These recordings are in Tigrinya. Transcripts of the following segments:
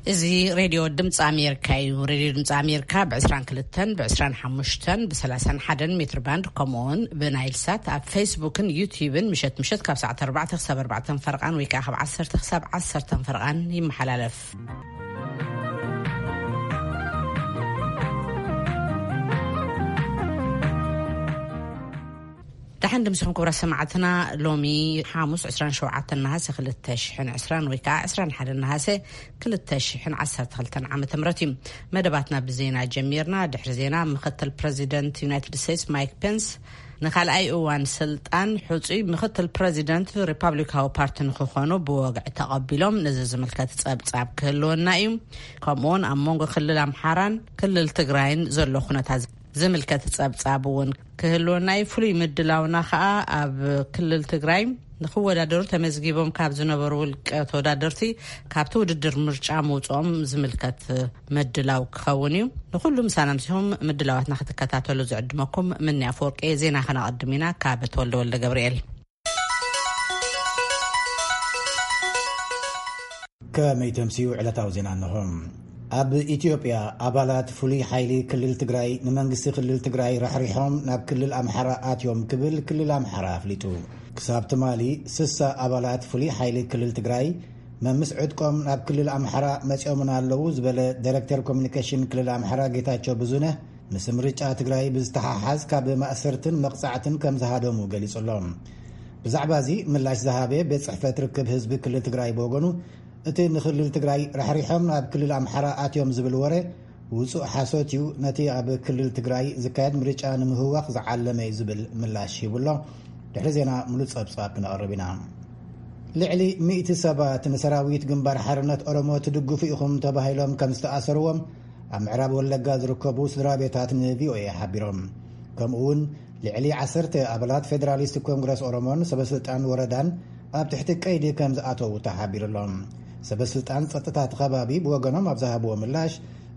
እዚ ሬድዮ ድምፂ ኣሜሪካ እዩ። ሬድዮ ድምፂ ኣሜሪካ ብ22፣ ብ25፣ ብ31 ሜትር ባንድ፣ ከምኡውን ብናይል ሳት ኣብ ፌስቡክን ዩቲዩብን ምሸት ምሸት ካብ ሰዓት ኣርባዕተ ክሳብ ኣርባዕተ ፈርቓን ወይ ከዓ ካብ ዓሰርተ ክሳብ ዓሰርተ ፈርቓን ይመሓላለፍ። ደሓን ድምስኹም ክቡራት ሰማዕትና። ሎሚ ሓሙስ ዕስራን ሸውዓተን ነሃሰ ክልተ ሽሕን ዕስራን ወይ ከዓ ዕስራን ሓደን ነሃሰ ክልተ ሽሕን ዓሰርተ ክልተን ዓመተ ምህረት እዩ። መደባትና ብዜና ጀሚርና። ድሕሪ ዜና፣ ምክትል ፕረዚደንት ዩናይትድ ስቴትስ ማይክ ፔንስ ንኻልኣይ እዋን ስልጣን ሕጹይ ምክትል ፕረዚደንት ሪፓብሊካዊ ፓርቲ ንክኾኑ ብወግዒ ተቐቢሎም። ነዚ ዝምልከት ጸብጻብ ክህልወና እዩ። ከምኡውን ኣብ መንጎ ክልል ኣምሓራን ክልል ትግራይን ዘሎ ኩነታት ዝምልከት ጸብጻብ እውን ክህልወና እዩ። ፍሉይ ምድላውና ከዓ ኣብ ክልል ትግራይ ንክወዳደሩ ተመዝጊቦም ካብ ዝነበሩ ውልቀ ተወዳደርቲ ካብቲ ውድድር ምርጫ ምውፅኦም ዝምልከት ምድላው ክኸውን እዩ። ንኩሉ ምሳና ምሲኹም ምድላዋትና ክትከታተሉ ዝዕድመኩም ምንያ ኣፈወርቂ። ዜና ከነቐድም ኢና ካብ ተወልደ ወልደ ገብርኤል። ከመይ ተምስዩ ዕለታዊ ዜና እንሆ። ኣብ ኢትዮጵያ፣ ኣባላት ፍሉይ ሓይሊ ክልል ትግራይ ንመንግስቲ ክልል ትግራይ ራሕሪሖም ናብ ክልል ኣምሓራ ኣትዮም ክብል ክልል ኣምሓራ ኣፍሊጡ። ክሳብ ትማሊ፣ ስሳ ኣባላት ፍሉይ ሓይሊ ክልል ትግራይ መምስ ዕጥቆም ናብ ክልል ኣምሓራ መጺኦምን ኣለዉ ዝበለ ዳይሬክተር ኮሚኒኬሽን ክልል ኣምሓራ ጌታቸው ብዙነህ፣ ምስ ምርጫ ትግራይ ብዝተሓሓዝ ካብ ማእሰርትን መቕጻዕትን ከም ዝሃደሙ ገሊጹ ኣሎ። ብዛዕባ እዚ ምላሽ ዝሃበ ቤት ጽሕፈት ርክብ ህዝቢ ክልል ትግራይ ብወገኑ፣ እቲ ንክልል ትግራይ ራሕሪሖም ናብ ክልል ኣምሓራ ኣትዮም ዝብል ወረ ውጹእ ሓሶት እዩ፣ ነቲ ኣብ ክልል ትግራይ ዝካየድ ምርጫ ንምህዋኽ ዝዓለመ እዩ ዝብል ምላሽ ሂቡ ኣሎ። ድሕሪ ዜና ምሉእ ጸብጻብ ክነቕርብ ኢና። ልዕሊ ሚእቲ ሰባት ንሰራዊት ግንባር ሓርነት ኦሮሞ ትድግፉ ኢኹም ተባሂሎም ከም ዝተኣሰርዎም ኣብ ምዕራብ ወለጋ ዝርከቡ ስድራ ቤታት ንቪኦኤ ሓቢሮም። ከምኡ እውን ልዕሊ ዓሰርተ ኣባላት ፌደራሊስት ኮንግረስ ኦሮሞን ሰበስልጣን ወረዳን ኣብ ትሕቲ ቀይዲ ከም ዝኣተዉ ተሓቢሩ ኣሎ። ሰበስልጣን ጸጥታ እቲ ከባቢ ብወገኖም ኣብ ዝሃብዎ ምላሽ፣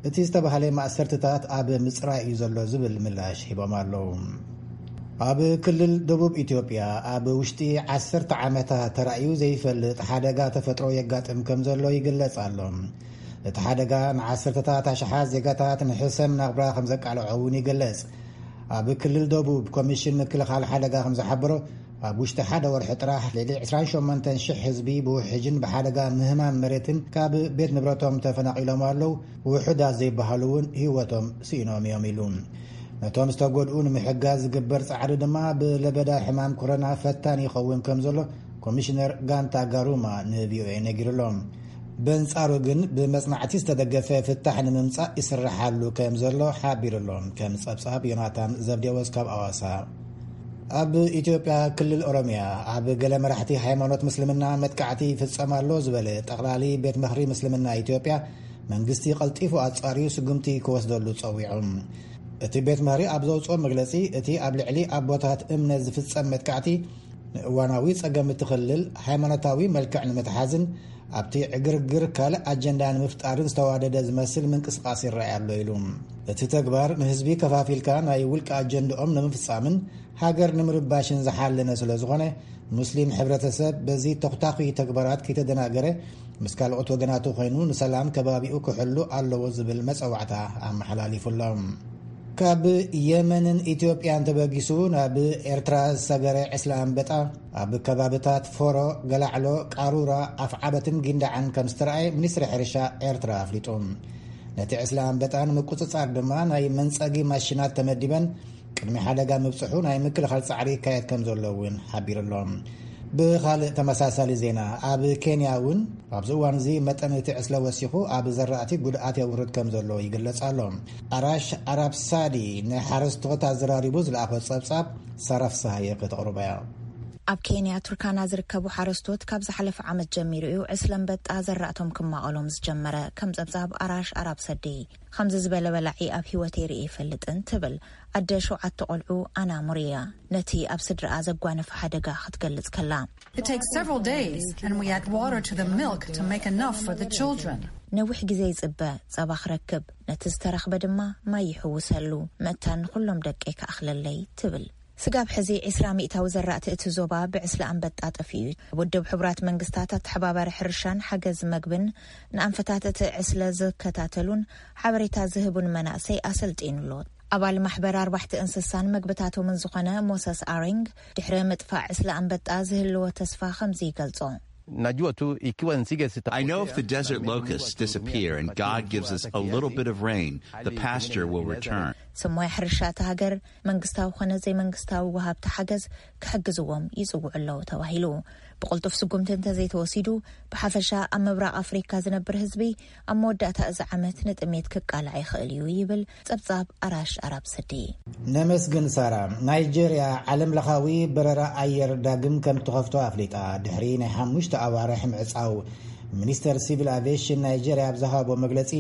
እቲ ዝተባህለ ማእሰርትታት ኣብ ምጽራይ እዩ ዘሎ ዝብል ምላሽ ሂቦም ኣለዉ። ኣብ ክልል ደቡብ ኢትዮጵያ ኣብ ውሽጢ ዓሰርተ ዓመታት ተራእዩ ዘይፈልጥ ሓደጋ ተፈጥሮ የጋጥም ከም ዘሎ ይግለጽ ኣሎ። እቲ ሓደጋ ንዓሰርተታት ኣሽሓት ዜጋታት ንሕሰም ናብራ ከም ዘቃልዖ እውን ይግለጽ። ኣብ ክልል ደቡብ ኮሚሽን ምክልኻል ሓደጋ ከም ዝሓበሮ፣ ኣብ ውሽጢ ሓደ ወርሒ ጥራሕ ልዕሊ ዕስራን ሸሞንተን ሽሕ ህዝቢ ብውሕጅን ብሓደጋ ምህማም መሬትን ካብ ቤት ንብረቶም ተፈናቒሎም ኣለዉ። ውሑዳት ዘይበሃሉ እውን ህይወቶም ስኢኖም እዮም ኢሉ። ነቶም ዝተጎድኡ ንምሕጋዝ ዝግበር ጻዕሪ ድማ ብለበዳ ሕማም ኮሮና ፈታኒ ይኸውን ከም ዘሎ ኮሚሽነር ጋንታ ጋሩማ ንቪኦኤ ነጊሩ ኣሎ። በንጻሩ ግን ብመጽናዕቲ ዝተደገፈ ፍታሕ ንምምጻእ ይስርሓሉ ከም ዘሎ ሓቢሩ ኣሎ። ከም ጸብጻብ ዮናታን ዘብዴዎስ ካብ ኣዋሳ። ኣብ ኢትዮጵያ ክልል ኦሮሚያ ኣብ ገለ መራሕቲ ሃይማኖት ምስልምና መጥቃዕቲ ይፍጸም ኣሎ ዝበለ ጠቕላሊ ቤት ምኽሪ ምስልምና ኢትዮጵያ፣ መንግስቲ ቀልጢፉ ኣጻርዩ ስጉምቲ ክወስደሉ ጸዊዑ። እቲ ቤት ምኽሪ ኣብ ዘውጽኦ መግለጺ፣ እቲ ኣብ ልዕሊ ኣቦታት እምነት ዝፍጸም መጥቃዕቲ ንእዋናዊ ጸገም እቲ ክልል ሃይማኖታዊ መልክዕ ንምትሓዝን ኣብቲ ዕግርግር ካልእ ኣጀንዳ ንምፍጣርን ዝተዋደደ ዝመስል ምንቅስቓስ ይረኣይ ኣሎ ኢሉ። እቲ ተግባር ንህዝቢ ከፋፊልካ ናይ ውልቂ ኣጀንድኦም ንምፍጻምን ሃገር ንምርባሽን ዝሓለነ ስለ ዝኾነ፣ ሙስሊም ሕብረተሰብ በዚ ተኹታኺ ተግባራት ከይተደናገረ፣ ምስ ካልኦት ወገናቱ ኮይኑ ንሰላም ከባቢኡ ክሕሉ ኣለዎ ዝብል መጸዋዕታ ኣመሓላሊፉ ኣሎ። ካብ የመንን ኢትዮጵያን ተበጊሱ ናብ ኤርትራ ዝሰገረ ዕስለ ኣንበጣ ኣብ ከባብታት ፎሮ፣ ገላዕሎ፣ ቃሩራ፣ ኣፍዓበትን ጊንዳዕን ከም ዝተረኣየ ሚኒስትሪ ሕርሻ ኤርትራ ኣፍሊጡ። ነቲ ዕስለ ኣንበጣ ንምቁጽጻር ድማ ናይ መንጸጊ ማሽናት ተመዲበን ቅድሚ ሓደጋ ምብጽሑ ናይ ምክልኻል ጻዕሪ ይካየድ ከም ዘሎ እውን ሓቢሩ ኣሎ። ብኻልእ ተመሳሳሊ ዜና፣ ኣብ ኬንያ እውን ኣብዚ እዋን እዚ መጠን እቲ ዕስለ ወሲኹ ኣብ ዘራእቲ ጉድኣት የውርድ ከም ዘሎ ይግለጽ ኣሎ። ኣራሽ ኣራብ ሳዲ ንሓረስቶት ኣዘራሪቡ ዝለኣኾ ጸብጻብ ሳራ ፍስሃየ ከተቕርቦ እያ። ኣብ ኬንያ ቱርካና ዝርከቡ ሓረስቶት ካብ ዝሓለፈ ዓመት ጀሚሩ እዩ ዕስለ ኣንበጣ ዘራእቶም ክማቐሎም ዝጀመረ። ከም ጸብጻብ ኣራሽ ኣራብ ሰዲ፣ ከምዚ ዝበለ በላዒ ኣብ ህይወተይ ርእየ ይፈልጥን ትብል ኣደ ሸውዓተ ቆልዑ ኣና ሙሪያ፣ ነቲ ኣብ ስድራኣ ዘጓነፈ ሓደጋ ክትገልጽ ከላ። It takes several days, and we add water to the milk to make enough for the children. ነዊሕ ግዜ ይጽበ፣ ጸባ ክረክብ፣ ነቲ ዝተረኽበ ድማ ማይ ይሕውሰሉ፣ መታን ንኹሎም ደቀይ ክኣኽለለይ ትብል። ስጋብ ሕዚ ዒስራ ሚእታዊ ዘራእቲ እቲ ዞባ ብዕስለ ኣንበጣ ጠፊኡ እዩ። ውድብ ሕቡራት መንግስታት ኣተሓባባሪ ሕርሻን ሓገዝ መግብን ንኣንፈታት እቲ ዕስለ ዝከታተሉን ሓበሬታ ዝህቡን መናእሰይ ኣሰልጢኑ ኣሎ። ኣባል ማሕበር ኣርባሕቲ እንስሳን መግብታቶምን ዝኾነ ሞሰስ ኣሪንግ፣ ድሕሪ ምጥፋእ ዕስለ ኣንበጣ ዝህልዎ ተስፋ ከምዚ ይገልጾ። Najua tu ikiwa nzige sita- I know if the desert locusts disappear and God gives us a little bit of rain, the pasture will return. ስሞያ ሕርሻ እታ ሃገር መንግስታዊ ኮነ ዘይመንግስታዊ ወሃብቲ ሓገዝ ክሕግዝዎም ይጽውዑ ኣለዉ ተባሂሉ። ብቕልጡፍ ስጉምቲ እንተዘይተወሲዱ፣ ብሓፈሻ ኣብ ምብራቕ ኣፍሪካ ዝነብር ህዝቢ ኣብ መወዳእታ እዚ ዓመት ንጥሜት ክቃላዕ ይኽእል እዩ ይብል ጸብጻብ ኣራሽ ኣራብ ሰዲ። ነመስግን ሳራ። ናይጄርያ ዓለም ለኻዊ በረራ ኣየር ዳግም ከም ትኸፍቶ ኣፍሊጣ፣ ድሕሪ ናይ ሓሙሽተ ኣዋርሕ ምዕጻው። ሚኒስተር ሲቪል ኣቪዬሽን ናይጄርያ ኣብ ዝሃቦ መግለጺ፣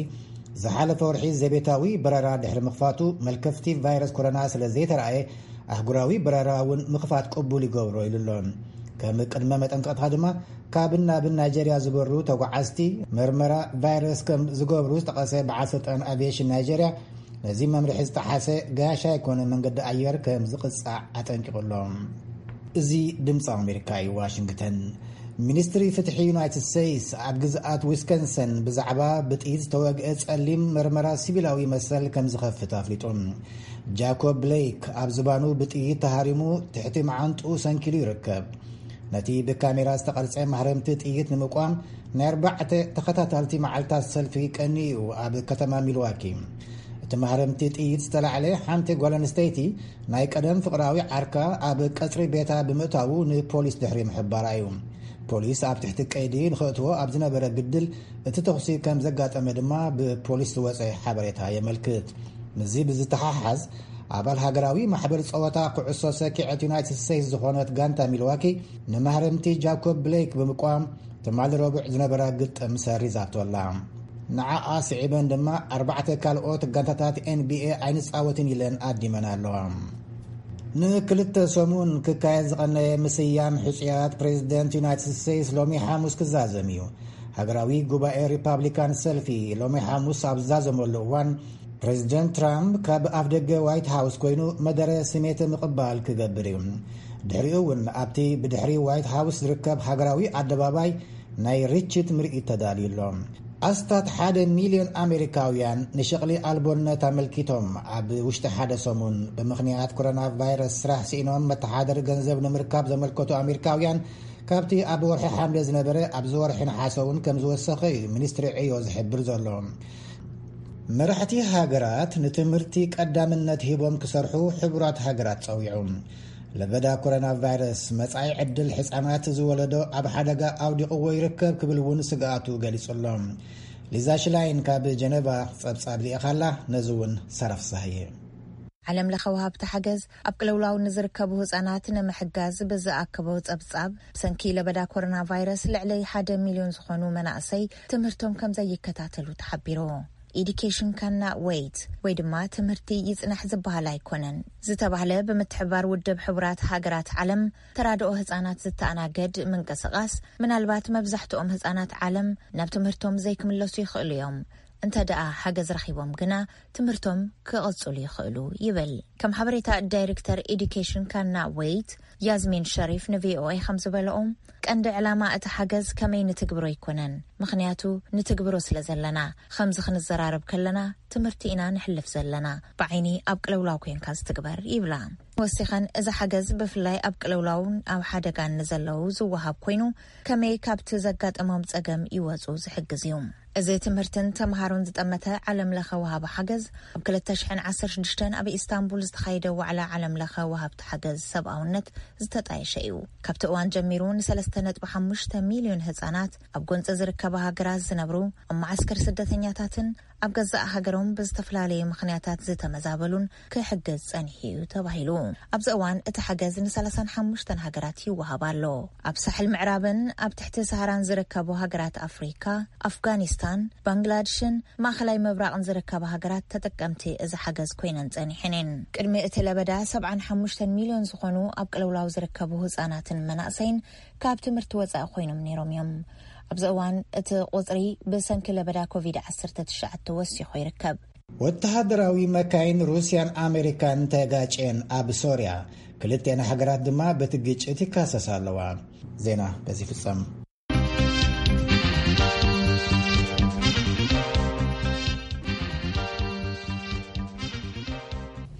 ዝሓለፈ ወርሒ ዘቤታዊ በረራ ድሕሪ ምኽፋቱ፣ መልከፍቲ ቫይረስ ኮሮና ስለ ዘይተረኣየ፣ ኣህጉራዊ በረራ እውን ምኽፋት ቅቡል ይገብሮ ኢሉ ኣሎ። ከም ቅድመ መጠንቀቕታ ድማ፣ ካብን ናብን ናይጄርያ ዝበሩ ተጓዓዝቲ መርመራ ቫይረስ ከም ዝገብሩ ዝጠቐሰ በዓል ስልጣን ኣቪዬሽን ናይጄርያ፣ ነዚ መምርሒ ዝጠሓሰ ጋሻ ይኮነ መንገዲ ኣየር ከም ዝቕጻዕ ኣጠንቂቑ ኣሎ። እዚ ድምፂ ኣሜሪካ እዩ፣ ዋሽንግተን። ሚኒስትሪ ፍትሒ ዩናይትድ ስቴትስ ኣብ ግዝኣት ዊስኮንሰን ብዛዕባ ብጥይት ዝተወግአ ጸሊም መርመራ ሲቪላዊ መሰል ከም ዝኸፍት ኣፍሊጡ። ጃኮብ ብሌክ ኣብ ዝባኑ ብጥይት ተሃሪሙ ትሕቲ መዓንጥኡ ሰንኪሉ ይርከብ። ነቲ ብካሜራ ዝተቐርጸ ማህረምቲ ጥይት ንምቋም ናይ ኣርባዕተ ተኸታታልቲ መዓልታት ሰልፊ ቀንዩ እዩ ኣብ ከተማ ሚልዋኪ። እቲ ማህረምቲ ጥይት ዝተላዕለ ሓንቲ ጓል ኣንስተይቲ ናይ ቀደም ፍቕራዊ ዓርካ ኣብ ቀጽሪ ቤታ ብምእታዉ ንፖሊስ ድሕሪ ምሕባራ እዩ። ፖሊስ ኣብ ትሕቲ ቀይዲ ንኸእትዎ ኣብ ዝነበረ ግድል እቲ ተኹሲ ከም ዘጋጠመ ድማ ብፖሊስ ዝወጸ ሓበሬታ የመልክት። ምስዚ ብዝተሓሓዝ፣ ኣባል ሃገራዊ ማሕበር ጸወታ ኩዕሶ ሰኪዐት ዩናይትድ ስቴትስ ዝኾነት ጋንታ ሚልዋኪ ንማህረምቲ ጃኮብ ብሌክ ብምቋም ትማሊ ረቡዕ ዝነበራ ግጥም ሰሪዛቶ ኣላ። ንዓኣ ስዒበን ድማ ኣርባዕተ ካልኦት ጋንታታት ኤንቢኤ ኣይንጻወትን ኢለን ኣዲመን ኣለዋ። ንክልተ ሰሙን ክካየድ ዝቐነየ ምስያም ሕጹያት ፕሬዚደንት ዩናይትድ ስቴትስ ሎሚ ሓሙስ ክዛዘም እዩ። ሃገራዊ ጉባኤ ሪፓብሊካን ሰልፊ ሎሚ ሓሙስ ኣብ ዝዛዘመሉ እዋን፣ ፕሬዚደንት ትራምፕ ካብ ኣፍ ደገ ዋይት ሃውስ ኮይኑ መደረ ስሜት ምቕባል ክገብር እዩ። ድሕሪኡ እውን ኣብቲ ብድሕሪ ዋይት ሃውስ ዝርከብ ሃገራዊ ኣደባባይ ናይ ርችት ምርኢት ተዳልዩ ኣሎ። ኣስታት ሓደ ሚልዮን ኣሜሪካውያን ንሸቕሊ ኣልቦነት ኣመልኪቶም ኣብ ውሽጢ ሓደ ሰሙን ብምኽንያት ኮሮና ቫይረስ ስራሕ ስኢኖም መተሓደሪ ገንዘብ ንምርካብ ዘመልከቱ ኣሜሪካውያን፣ ካብቲ ኣብ ወርሒ ሓምለ ዝነበረ ኣብዚ ወርሒ ነሓሰ እውን ከም ዝወሰኸ እዩ ሚኒስትሪ ዕዮ ዝሕብር ዘሎ። መራሕቲ ሃገራት ንትምህርቲ ቀዳምነት ሂቦም ክሰርሑ ሕቡራት ሃገራት ጸዊዑ። ለበዳ ኮሮና ቫይረስ መጻኢ ዕድል ሕጻናት ዝወለዶ ኣብ ሓደጋ ኣውዲቕዎ ይርከብ ክብል እውን ስግኣቱ ገሊጹ ኣሎ። ሊዛ ሽላይን ካብ ጀነቫ ጸብጻብ ልኢኻላ፣ ነዚ እውን ሰራፍ ሳህየ። ዓለም ለኸ ወሃብቲ ሓገዝ ኣብ ቅልውላው ንዝርከቡ ህጻናት ንምሕጋዝ ብዝኣከቦ ጸብጻብ፣ ብሰንኪ ለበዳ ኮሮና ቫይረስ ልዕሊ ሓደ ሚልዮን ዝኾኑ መናእሰይ ትምህርቶም ከም ዘይከታተሉ ተሓቢሩ። Education cannot wait ወይ ድማ ትምህርቲ ይጽናሕ ዝበሃል ኣይኮነን ዝተባህለ ብምትሕብባር ውድብ ሕቡራት ሃገራት ዓለም ተራድኦ ህጻናት ዝተኣናገድ ምንቅስቓስ፣ ምናልባት መብዛሕትኦም ህጻናት ዓለም ናብ ትምህርቶም ዘይክምለሱ ይኽእሉ እዮም። እንተ ደኣ ሓገዝ ረኺቦም ግና ትምህርቶም ክቕጽሉ ይኽእሉ ይብል። ከም ሓበሬታ ዳይሬክተር ኤዱኬሽን ካና ዌይት ያዝሚን ሸሪፍ ንቪኦኤ ከም ዝበለኦም፣ ቀንዲ ዕላማ እቲ ሓገዝ ከመይ ንትግብሮ ኣይኮነን፣ ምኽንያቱ ንትግብሮ ስለ ዘለና። ከምዚ ክንዘራረብ ከለና ትምህርቲ ኢና ንሕልፍ ዘለና፣ ብዓይኒ ኣብ ቅልውላው ኮንካ ዝትግበር ይብላ። ወሲኸን፣ እዚ ሓገዝ ብፍላይ ኣብ ቅልውላውን ኣብ ሓደጋን ንዘለዉ ዝወሃብ ኮይኑ፣ ከመይ ካብቲ ዘጋጠሞም ጸገም ይወጹ ዝሕግዝ እዩ። እዚ ትምህርትን ተምሃሮን ዝጠመተ ዓለም ለኸ ወሃቢ ሓገዝ፣ ኣብ ክልተ ሽሕን ዓሰርተ ሽዱሽተን ኣብ ኢስታንቡል ዝተኻየደ ዋዕላ ዓለም ለኸ ወሃብቲ ሓገዝ ሰብኣውነት ዝተጣየሸ እዩ። ካብቲ እዋን ጀሚሩ ንሰለስተ ነጥቢ ሓሙሽተ ሚልዮን ህጻናት ኣብ ጎንጺ ዝርከባ ሃገራት ዝነብሩ፣ ኣብ መዓስከር ስደተኛታትን ኣብ ገዛእ ሃገሮም ብዝተፈላለየ ምኽንያታት ዝተመዛበሉን ክሕግዝ ጸኒሑ እዩ ተባሂሉ። ኣብዚ እዋን እቲ ሓገዝ ንሰላሳን ሓሙሽተን ሃገራት ይወሃብ ኣሎ። ኣብ ሳሕል ምዕራብን ኣብ ትሕቲ ሰሃራን ዝርከቡ ሃገራት ኣፍሪካ፣ ኣፍጋኒስታን፣ ባንግላድሽን ማእኸላይ ምብራቕን ዝርከባ ሃገራት ተጠቀምቲ እዚ ሓገዝ ኮይነን ጸኒሐን እየን። ቅድሚ እቲ ለበዳ ሰብዓን ሓሙሽተን ሚልዮን ዝኾኑ ኣብ ቅልውላው ዝርከቡ ህጻናትን መናእሰይን ካብ ትምህርቲ ወጻኢ ኮይኖም ነይሮም እዮም። ኣብዚ እዋን እቲ ቁጽሪ ብሰንኪ ለበዳ ኮቪድ ዓሰርተ ትሽዓተ ወሲኹ ይርከብ። ወተሃደራዊ መካይን ሩስያን ኣሜሪካን ተጋጭየን ኣብ ሶርያ፣ ክልቲኣን ሃገራት ድማ በቲ ግጭት ይካሰሳ ኣለዋ። ዜና በዚ ይፍጸም።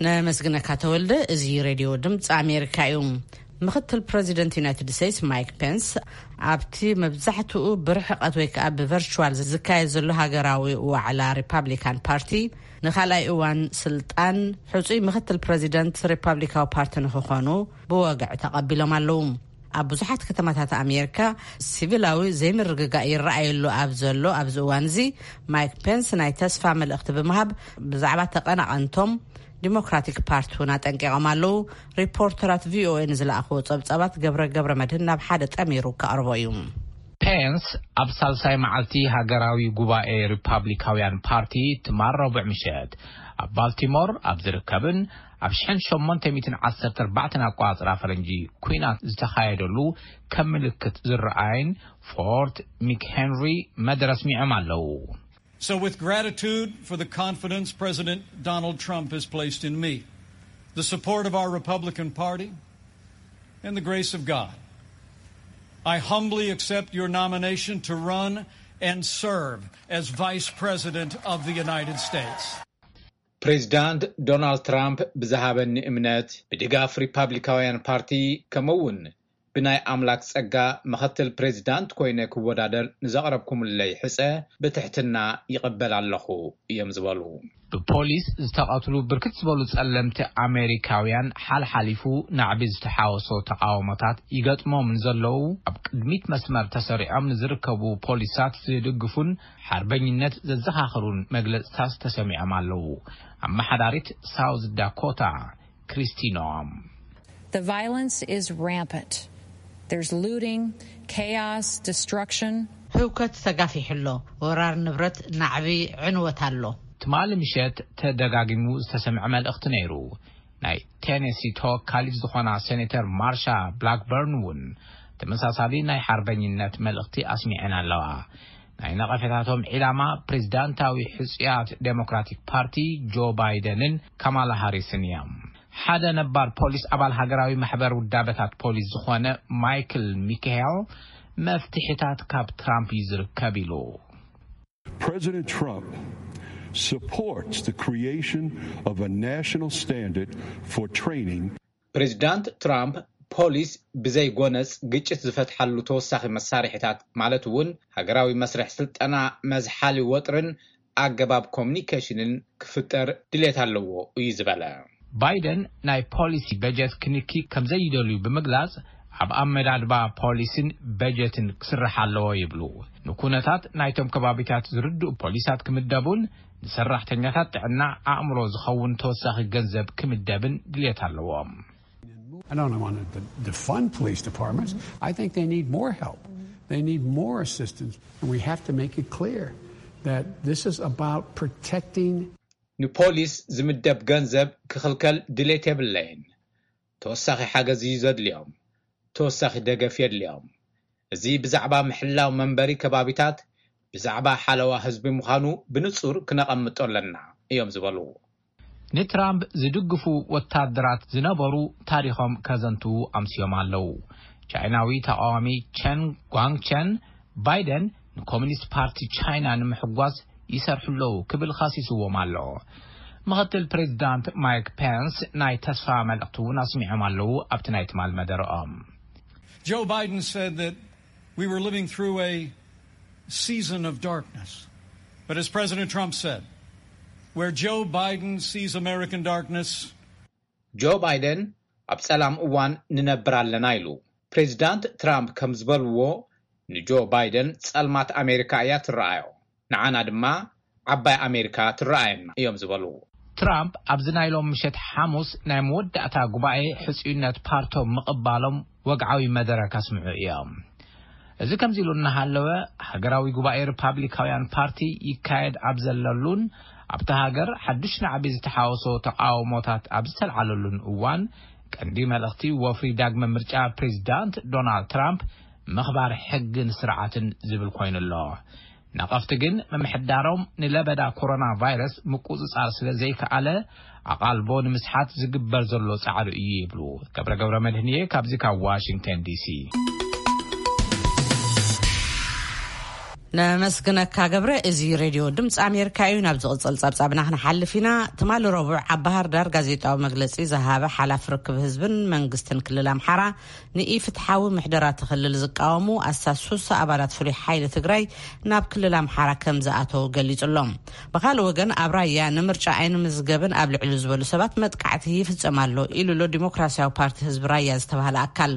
ነመስግነካ ተወልደ። እዚ ሬድዮ ድምፂ ኣሜሪካ እዩ። ምክትል ፕረዚደንት ዩናይትድ ስቴትስ ማይክ ፔንስ ኣብቲ መብዛሕትኡ ብርሕቀት ወይ ከዓ ብቨርቹዋል ዝካየድ ዘሎ ሃገራዊ ዋዕላ ሪፓብሊካን ፓርቲ ንኻልኣይ እዋን ስልጣን ሕፁይ ምክትል ፕረዚደንት ሪፓብሊካዊ ፓርቲ ንክኾኑ ብወግዒ ተቐቢሎም ኣለዉ። ኣብ ብዙሓት ከተማታት ኣሜሪካ ሲቪላዊ ዘይምርግጋእ ይረኣየሉ ኣብ ዘሎ ኣብዚ እዋን እዚ፣ ማይክ ፔንስ ናይ ተስፋ መልእኽቲ ብምሃብ ብዛዕባ ተቐናቐንቶም ዲሞክራቲክ ፓርቲ እውን ኣጠንቂቖም ኣለዉ። ሪፖርተራት ቪኦኤ ንዝለኣኽዎ ጸብጻባት ገብረ ገብረ መድህን ናብ ሓደ ጠሚሩ ከቕርቦ እዩ። ፔንስ ኣብ ሳልሳይ መዓልቲ ሃገራዊ ጉባኤ ሪፓብሊካውያን ፓርቲ ትማል ረቡዕ ምሸት ኣብ ባልቲሞር ኣብ ዝርከብን ኣብ ሽሕን ሸሞንተ ሚእትን ዓሰርተ ኣርባዕተን ኣቆጻጽራ ፈረንጂ ኲናት ዝተኻየደሉ ከም ምልክት ዝረኣይን ፎርት ሚክሄንሪ መደረ ኣስሚዖም ኣለዉ። So, with gratitude for the confidence President Donald Trump has placed in me, the support of our Republican Party, and the grace of God, I humbly accept your nomination to run and serve as Vice President of the United States. ፕሬዚዳንት ዶናልድ ትራምፕ ብዝሃበኒ እምነት፣ ብድጋፍ ሪፓብሊካውያን ፓርቲ፣ ከምኡ እውን ብናይ ኣምላክ ጸጋ ምኽትል ፕሬዚዳንት ኮይነ ክወዳደር ንዘቕረብኩምለይ ሕጸ ብትሕትና ይቕበል ኣለኹ እዮም ዝበሉ። ብፖሊስ ዝተቐትሉ ብርክት ዝበሉ ጸለምቲ ኣሜሪካውያን ሓልሓሊፉ ናዕቢ ዝተሓወሶ ተቓውሞታት ይገጥሞም ንዘለዉ ኣብ ቅድሚት መስመር ተሰሪዖም ንዝርከቡ ፖሊሳት ዝድግፉን ሓርበኝነት ዘዘኻኽሩን መግለጽታት ተሰሚዖም ኣለዉ። ኣመሓዳሪት ሳውዝ ዳኮታ ክሪስቲኖም The violence is rampant. There's looting, chaos, destruction. ህውከት ተጋፊሑ ኣሎ። ወራር ንብረት፣ ናዕቢ፣ ዕንወት ኣሎ። ትማሊ ምሸት ተደጋጊሙ ዝተሰምዐ መልእኽቲ ነይሩ። ናይ ቴነሲ ተወካሊት ዝኾና ሴኔተር ማርሻ ብላክበርን እውን ተመሳሳሊ ናይ ሓርበኝነት መልእኽቲ ኣስሚዐን ኣለዋ። ናይ ነቐፌታቶም ዒላማ ፕሬዚዳንታዊ ሕጹያት ዴሞክራቲክ ፓርቲ ጆ ባይደንን ካማላ ሃሪስን እዮም። ሓደ ነባር ፖሊስ ኣባል ሃገራዊ ማሕበር ውዳበታት ፖሊስ ዝኾነ ማይክል ሚካኤል መፍትሒታት ካብ ትራምፕ እዩ ዝርከብ ኢሉ። President Trump supports the creation of a national standard for training. ፕሬዚዳንት ትራምፕ ፖሊስ ብዘይ ጎነጽ ግጭት ዝፈትሓሉ ተወሳኺ መሳርሒታት ማለት እውን ሃገራዊ መስርሕ ስልጠና መዝሓሊ ወጥርን ኣገባብ ኮሙኒኬሽንን ክፍጠር ድሌት ኣለዎ እዩ ዝበለ። ባይደን ናይ ፖሊሲ በጀት ክንኪ ከምዘይደልዩ ብምግላጽ ኣብ ኣመዳድባ ፖሊሲን በጀትን ክስራሕ ኣለዎ ይብሉ። ንኩነታት ናይቶም ከባቢታት ዝርድኡ ፖሊሳት ክምደቡን ንሰራሕተኛታት ጥዕና ኣእምሮ ዝኸውን ተወሳኺ ገንዘብ ክምደብን ድሌት ኣለዎም። I don't want to defund police departments. I think they need more help. They need more assistance. And we have to make it clear that this is about protecting. ንፖሊስ ዝምደብ ገንዘብ ክኽልከል ድሌት የብለይን። ተወሳኺ ሓገዝ እዩ ዘድልዮም። ተወሳኺ ደገፍ የድልዮም። እዚ ብዛዕባ ምሕላው መንበሪ ከባቢታት፣ ብዛዕባ ሓለዋ ህዝቢ ምዃኑ ብንጹር ክነቐምጦ ኣለና እዮም ዝበሉ። ንትራምፕ ዝድግፉ ወታደራት ዝነበሩ ታሪኾም ከዘንትዉ ኣምስዮም ኣለዉ። ቻይናዊ ተቓዋሚ ቸን ጓንግቸን ባይደን ንኮሚኒስት ፓርቲ ቻይና ንምሕጓስ ይሰርሑ ኣለዉ ክብል ኻሲስዎም ኣሎ። ምኽትል ፕሬዚዳንት ማይክ ፔንስ ናይ ተስፋ መልእኽቲ እውን ኣስሚዖም ኣለዉ ኣብቲ ናይ ትማል መደረኦም። Joe Biden said that we were living through a season of darkness. But as President Trump said, where Joe Biden sees American darkness, ጆ ባይደን ኣብ ጸላም እዋን ንነብር ኣለና ኢሉ። ፕሬዚዳንት ትራምፕ ከም ዝበልዎ ንጆ ባይደን ጸልማት ኣሜሪካ እያ ትረኣዮ፣ ንዓና ድማ ዓባይ ኣሜሪካ ትረኣየና እዮም ዝበሉ። ትራምፕ ኣብዚ ናይ ሎም ምሸት ሓሙስ ናይ መወዳእታ ጉባኤ ሕጹይነት ፓርቶም ምቕባሎም ወግዓዊ መደረ ከስምዑ እዮም። እዚ ከምዚ ኢሉ እናሃለወ፣ ሃገራዊ ጉባኤ ሪፓብሊካውያን ፓርቲ ይካየድ ኣብ ዘለሉን ኣብታ ሃገር ሓዱሽ ናዕቢ ዝተሓወሶ ተቓውሞታት ኣብ ዝተልዓለሉን እዋን፣ ቀንዲ መልእኽቲ ወፍሪ ዳግመ ምርጫ ፕሬዚዳንት ዶናልድ ትራምፕ ምኽባር ሕግን ስርዓትን ዝብል ኮይኑ ኣሎ። ነቐፍቲ ግን ምምሕዳሮም ንለበዳ ኮሮና ቫይረስ ምቁጽጻር ስለ ዘይከኣለ ኣቓልቦ ንምስሓት ዝግበር ዘሎ ጻዕሪ እዩ ይብሉ። ገብረ ገብረ መድህንየ ካብዚ ካብ ዋሽንግተን ዲሲ። ነመስግነካ ገብረ። እዚ ሬድዮ ድምፂ ኣሜሪካ እዩ። ናብ ዝቕፅል ፀብፃብና ክንሓልፍ ኢና። ትማሊ ረቡዕ ኣብ ባህር ዳር ጋዜጣዊ መግለፂ ዝሃበ ሓላፊ ርክብ ህዝብን መንግስትን ክልል ኣምሓራ ንኢፍትሓዊ ምሕደራ እቲ ክልል ዝቃወሙ ኣስታት ሱሳ ኣባላት ፍሉይ ሓይሊ ትግራይ ናብ ክልል ኣምሓራ ከም ዝኣተው ገሊፁ ኣሎ። ብኻልእ ወገን ኣብ ራያ ንምርጫ ኣይንምዝገብን ኣብ ልዕሊ ዝበሉ ሰባት መጥቃዕቲ ይፍፀም ኣሎ ኢሉ ኣሎ ዲሞክራሲያዊ ፓርቲ ህዝቢ ራያ ዝተባህለ ኣካል።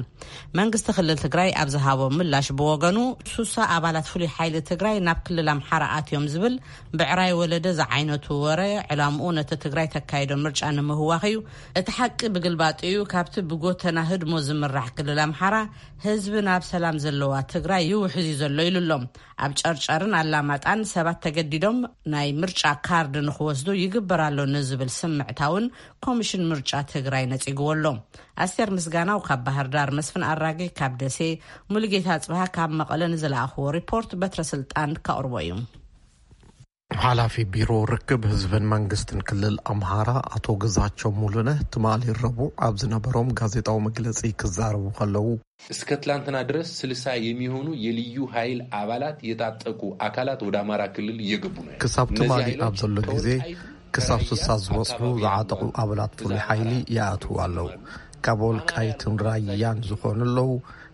መንግስቲ ክልል ትግራይ ኣብ ዝሃቦ ምላሽ ብወገኑ ሱሳ ኣባላት ፍሉይ ሓይሊ ትግራይ ናብ ክልል ኣምሓራ ኣትዮም ዝብል ብዕራይ ወለደ ዝዓይነቱ ወረ ዕላምኡ ነቲ ትግራይ ተካይዶ ምርጫ ንምህዋኽ እዩ። እቲ ሓቂ ብግልባጡ እዩ። ካብቲ ብጎተና ህድሞ ዝምራሕ ክልል ኣምሓራ ህዝቢ ናብ ሰላም ዘለዋ ትግራይ ይውሕዝ እዩ ዘሎ ኢሉ ኣሎ። ኣብ ጨርጨርን ኣላማጣን ሰባት ተገዲዶም ናይ ምርጫ ካርድ ንክወስዱ ይግበር ኣሎ ንዝብል ስምዕታ እውን ኮሚሽን ምርጫ ትግራይ ነፂግዎ ኣሎ። ኣስቴር ምስጋናው ካብ ባህር ዳር፣ መስፍን ኣራጌ ካብ ደሴ፣ ሙሉጌታ ኣፅብሃ ካብ መቐለ ንዝለኣኽዎ ሪፖርት በትረ ስልጣን ከቕርቦ እዩ። ሓላፊ ቢሮ ርክብ ህዝብን መንግስትን ክልል ኣምሃራ ኣቶ ግዛቸው ሙሉነህ ትማሊ ረቡዕ ኣብ ዝነበሮም ጋዜጣዊ መግለፂ ክዛረቡ ከለዉ፣ እስከ ትላንትና ድረስ ስልሳ የሚሆኑ የልዩ ኃይል አባላት የታጠቁ አካላት ወደ አማራ ክልል እየገቡ ነው። ክሳብ ትማሊ ኣብ ዘሎ ግዜ ክሳብ ስሳ ዝበጽሑ ዝዓጠቑ ኣባላት ፍሉይ ሓይሊ ይኣትዉ ኣለዉ። ካብ ወልቃይትን ራያን ዝኾኑ ኣለዉ፣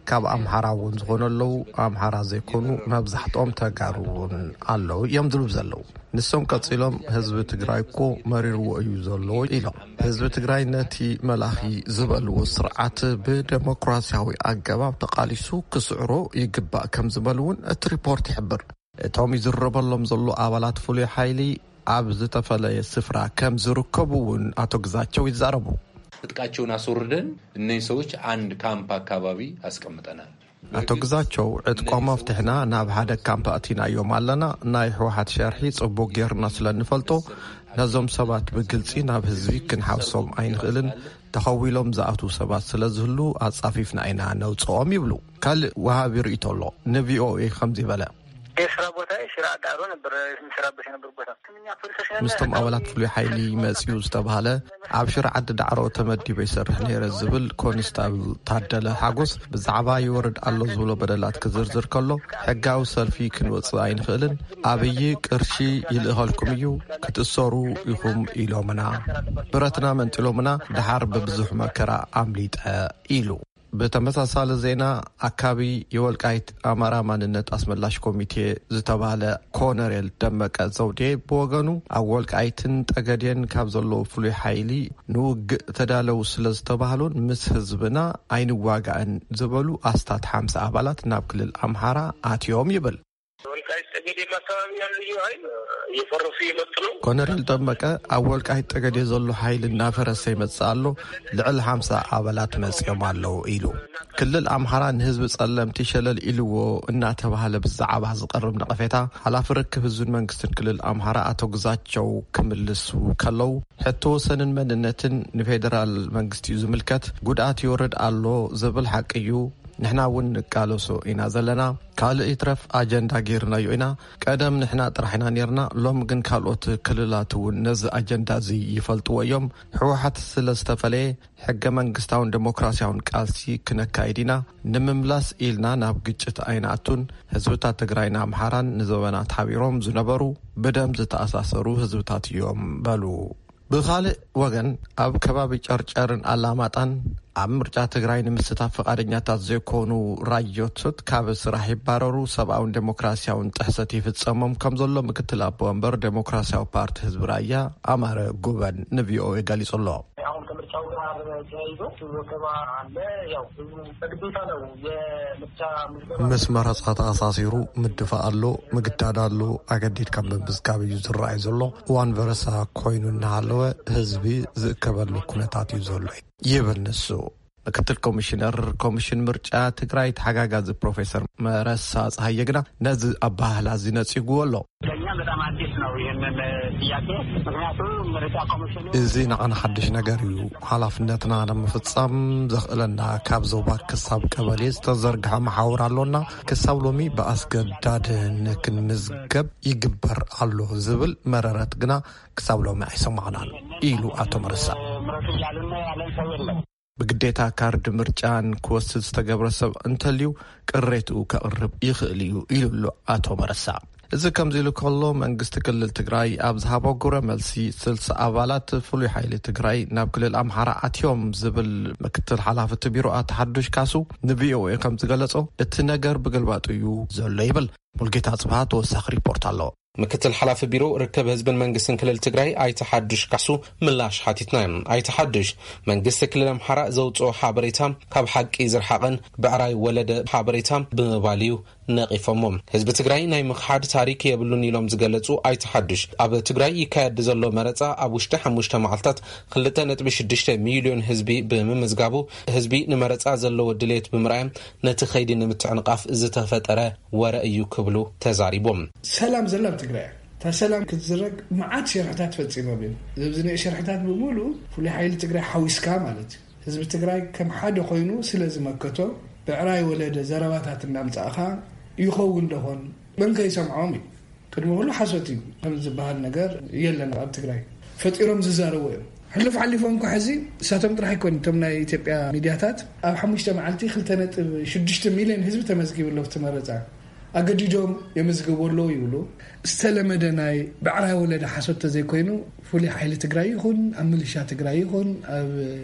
ካብ ኣምሓራ እውን ዝኾኑ ኣለዉ። ኣምሓራ ዘይኮኑ መብዛሕትኦም ተጋሩ እውን ኣለዉ እዮም ዝብሉ ዘለዉ። ንሶም ቀጺሎም ህዝቢ ትግራይ እኮ መሪርዎ እዩ ዘሎ ኢሎም። ህዝቢ ትግራይ ነቲ መላኺ ዝበልዎ ስርዓት ብደሞክራሲያዊ ኣገባብ ተቓሊሱ ክስዕሮ ይግባእ ከም ዝበሉ እውን እቲ ሪፖርት ይሕብር። እቶም ይዝረበሎም ዘሎ ኣባላት ፍሉይ ሓይሊ ኣብ ዝተፈለየ ስፍራ ከም ዝርከቡ እውን ኣቶ ግዛቸው ይዛረቡ። ትጥቃቸውን አስወርደን እነዚህ ሰዎች አንድ ካምፕ አካባቢ አስቀምጠናል። ኣቶ ግዛቸው ዕጥቆም ኣፍትሕና ናብ ሓደ ካምፕ ኣእቲናዮም ኣለና። ናይ ህወሓት ሸርሒ ጽቡቕ ጌርና ስለ እንፈልጦ ነዞም ሰባት ብግልጺ ናብ ህዝቢ ክንሓውሶም ኣይንኽእልን። ተኸዊሎም ዝኣትዉ ሰባት ስለ ዝህሉ ኣጻፊፍና ኢና ነውጽኦም ይብሉ። ካልእ ወሃቢ ርእይቶ ኣሎ። ንቪኦኤ ከምዚ በለ። የስራ ቦታ ሽራ ዳሮ ነበር የምሰራበት የነበር ቦታ። ምስቶም ኣባላት ፍሉይ ሓይሊ መጺኡ ዝተባህለ ኣብ ሽርዓት ዳዕሮ ተመዲበ ይሰርሕ ነይረ ዝብል ኮንስታብል ታደለ ሓጎስ ብዛዕባ ይወርድ ኣሎ ዝብሎ በደላት ክዝርዝር ከሎ፣ ሕጋዊ ሰልፊ ክንወጽእ ኣይንኽእልን፣ ኣብይ ቅርሺ ይልእኸልኩም እዩ፣ ክትእሰሩ ኢኹም ኢሎምና። ብረትና መንጢሎምና፣ ደሓር ብብዙሕ መከራ ኣምሊጠ ኢሉ። ብተመሳሳሊ ዜና፣ ኣካቢ የወልቃይት ኣማራ ማንነት ኣስመላሽ ኮሚቴ ዝተባህለ ኮነሬል ደመቀ ዘውዴ ብወገኑ፣ ኣብ ወልቃይትን ጠገዴን ካብ ዘለዉ ፍሉይ ሓይሊ ንውግእ ተዳለዉ ስለ ዝተባህሉን ምስ ህዝብና ኣይንዋጋእን ዝበሉ ኣስታት ሓምሳ ኣባላት ናብ ክልል ኣምሓራ ኣትዮም ይብል። ወልቃይት ጠገዴ አካባቢ ያሉ ልዩ ኃይል እየፈረሱ እየመጡ ነው። ኮነሬል ደመቀ፣ ኣብ ወልቃይት ጠገዴ ዘሎ ሓይሊ እናፈረሰ ይመጽእ ኣሎ፣ ልዕሊ ሓምሳ ኣባላት መጺኦም ኣለዉ ኢሉ። ክልል ኣምሓራ ንህዝቢ ጸለምቲ ሸለል ኢልዎ እናተባህለ ብዛዕባ ዝቐርብ ነቐፌታ፣ ሓላፊ ርክብ ህዝብን መንግስትን ክልል ኣምሓራ ኣቶ ግዛቸው ክምልሱ ከለዉ፣ ሕቶ ወሰንን መንነትን ንፌደራል መንግስቲ እዩ ዝምልከት፣ ጉድኣት ይወርድ ኣሎ ዝብል ሓቂ እዩ። ንሕና እውን ንቃለሶ ኢና ዘለና። ካልእ ይትረፍ ኣጀንዳ ጌርናዮ ኢና። ቀደም ንሕና ጥራሕ ኢና ኔርና፣ ሎም ግን ካልኦት ክልላት እውን ነዚ ኣጀንዳ እዚ ይፈልጥዎ እዮም። ህወሓት ስለ ዝተፈለየ ሕገ መንግስታውን ዴሞክራሲያውን ቃልሲ ክነካይድ ኢና። ንምምላስ ኢልና ናብ ግጭት ኣይንኣቱን። ህዝብታት ትግራይን ኣምሓራን ንዘበናት ሓቢሮም ዝነበሩ ብደም ዝተኣሳሰሩ ህዝብታት እዮም በሉ። ብኻልእ ወገን ኣብ ከባቢ ጨርጨርን ኣላማጣን ኣብ ምርጫ ትግራይ ንምስታፍ ፍቓደኛታት ዘይኮኑ ራዮቶት ካብ ስራሕ ይባረሩ፣ ሰብኣውን ዴሞክራሲያውን ጥሕሰት ይፍጸሞም ከም ዘሎ ምክትል ኣቦ ወንበር ዴሞክራሲያዊ ፓርቲ ህዝቢ ራያ ኣማረ ጉበን ንቪኦኤ ገሊጹ ኣሎ። አሁን ከምርጫው ጋር ተያይዞ ወከባ አለ። ያው ህዝቡ በግዴታ ነው የምርጫ ምዝገባ። ምስ መረጻ ተኣሳሲሩ ምድፋእ ኣሎ፣ ምግዳድ ኣሎ፣ ኣገዲድካ ምምዝጋብ እዩ ዝረኣይ ዘሎ። እዋን በረሳ ኮይኑ እናሃለወ ህዝቢ ዝእከበሉ ኩነታት እዩ ዘሎ ይብል ንሱ። ምክትል ኮሚሽነር ኮሚሽን ምርጫ ትግራይ ተሓጋጋዚ ፕሮፌሰር መረሳ ፀሃየ ግና ነዚ ኣባህላ እዚ ነፂጉዎ ኣሎ። ለእኛ በጣም አዲስ ነው ይህንን ጥያቄ። ምክንያቱም ምርጫ ኮሚሽኑ እዚ ንዓና ሓድሽ ነገር እዩ። ሓላፍነትና ንምፍጻም ዘኽእለና ካብ ዞባ ክሳብ ቀበሌ ዝተዘርግሐ መሓውር ኣሎና። ክሳብ ሎሚ ብኣስገዳድ ንክንምዝገብ ይግበር ኣሎ ዝብል መረረት ግና ክሳብ ሎሚ ኣይሰማዕናን ኢሉ ኣቶ መረሳ። ምረጡ እያሉን ያለን ሰው የለም። ብግዴታ ካርድ ምርጫን ክወስድ ዝተገብረ ሰብ እንተልዩ ቅሬትኡ ከቕርብ ይኽእል እዩ ኢሉ ኣሎ ኣቶ መረሳ። እዚ ከምዚ ኢሉ ከሎ መንግስቲ ክልል ትግራይ ኣብ ዝሃቦ ግብረ መልሲ ስልሳ ኣባላት ፍሉይ ሓይሊ ትግራይ ናብ ክልል ኣምሓራ ኣትዮም ዝብል ምክትል ሓላፊ እቲ ቢሮ ኣቶ ሓዱሽ ካሱ ንቪኦኤ ከም ዝገለጾ እቲ ነገር ብግልባጡ እዩ ዘሎ ይብል። ሙልጌታ ጽብሃ ተወሳኺ ሪፖርት ኣሎ። ምክትል ሓላፊ ቢሮ ርከብ ህዝብን መንግስትን ክልል ትግራይ ኣይተ ሓዱሽ ካሱ ምላሽ ሓቲትና እዮም። ኣይተ ሓዱሽ መንግስቲ ክልል ኣምሓራ ዘውፅኦ ሓበሬታ ካብ ሓቂ ዝረሓቐን ብዕራይ ወለደ ሓበሬታ ብምባል እዩ ነቒፎሞ። ህዝቢ ትግራይ ናይ ምኽሓድ ታሪክ የብሉን ኢሎም ዝገለፁ ኣይተ ሓዱሽ ኣብ ትግራይ ይካየድ ዘሎ መረፃ ኣብ ውሽጢ ሓሙሽተ መዓልታት ክልተ ነጥቢ ሽዱሽተ ሚሊዮን ህዝቢ ብምምዝጋቡ ህዝቢ ንመረፃ ዘለዎ ድሌት ብምርኣዮም ነቲ ከይዲ ንምትዕንቓፍ ዝተፈጠረ ወረ እዩ ክብሉ ተዛሪቦም። ሰላም ዘላ ኣብ ትግራይ እያ። እታ ሰላም ክትዝረግ መዓት ሸርሕታት ፈፂሞም እዮም። እዚ ናይ ሸርሕታት ብምሉእ ፍሉይ ሓይሊ ትግራይ ሓዊስካ ማለት እዩ። ህዝቢ ትግራይ ከም ሓደ ኮይኑ ስለ ዝመከቶ ብዕራይ ወለደ ዘረባታት እናምፃእኻ ይኸውን ደኾን መን ከይሰምዖም እዩ። ቅድሚ ኩሉ ሓሶት እዩ ከም ዝበሃል ነገር የለን ኣብ ትግራይ። ፈጢሮም ዝዛረቡ እዮም። ሕሉፍ ሓሊፎም እኳ ሕዚ እሳቶም ጥራሕ ኣይኮን እቶም ናይ ኢትዮጵያ ሚዲያታት ኣብ ሓሙሽተ መዓልቲ ክልተ ነጥብ ሽዱሽተ ሚሊዮን ህዝቢ ተመዝጊቡ ኣሎ ኣብቲ መረፃ። ኣገዲዶም የመዝግቡ ኣለዉ ይብሉ። ዝተለመደ ናይ ብዕራይ ወለደ ሓሶት ተዘይኮይኑ ፍሉይ ሓይሊ ትግራይ ይኹን ኣብ ምልሻ ትግራይ ይኹን ኣብ